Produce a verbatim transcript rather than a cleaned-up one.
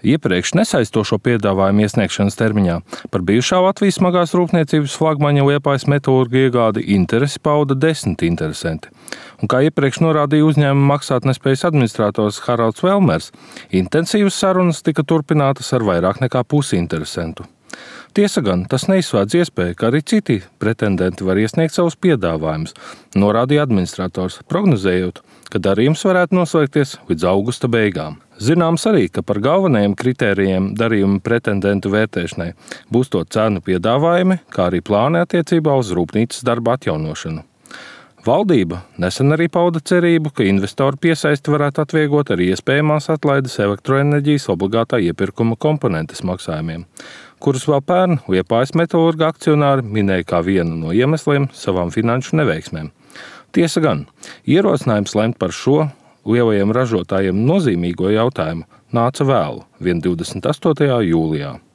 Iepriekš nesaistošo piedāvājumu iesniegšanas termiņā par bijušā Latvijas smagās rūpniecības flagmaņa Liepājas metālurga iegādi interesi pauda desmit interesanti. Un kā iepriekš norādīja uzņēmuma maksātnespējas administrators Haralds Velmers, intensīvas sarunas tika turpinātas ar vairāk nekā pusi interesantu. Tiesa gan, tas neizslēdz iespēju, ka arī citi pretendenti var iesniegt savus piedāvājumus, norādīja administrators, prognozējot, ka darījums varētu noslēgties līdz augusta beigām. Zināms arī, ka par galvenajiem kritērijiem darījuma pretendentu vērtēšanai būs to cenu piedāvājumi, kā arī plāni attiecībā uz rūpnīcas darba atjaunošanu. Valdība nesen arī pauda cerību, ka investoru piesaisti varētu atvieglot arī iespējamās atlaides elektroenerģijas obligātā iepirkuma komponentes maksājumiem, kurus vēl pērn Liepājas metālurga akcionāri minēja kā vienu no iemesliem savām finanšu neveiksmēm. Tiesa gan, ierosinājums lemt par šo lielajiem ražotājiem nozīmīgo jautājumu nāca vēlu, vien divdesmit astotajā jūlijā.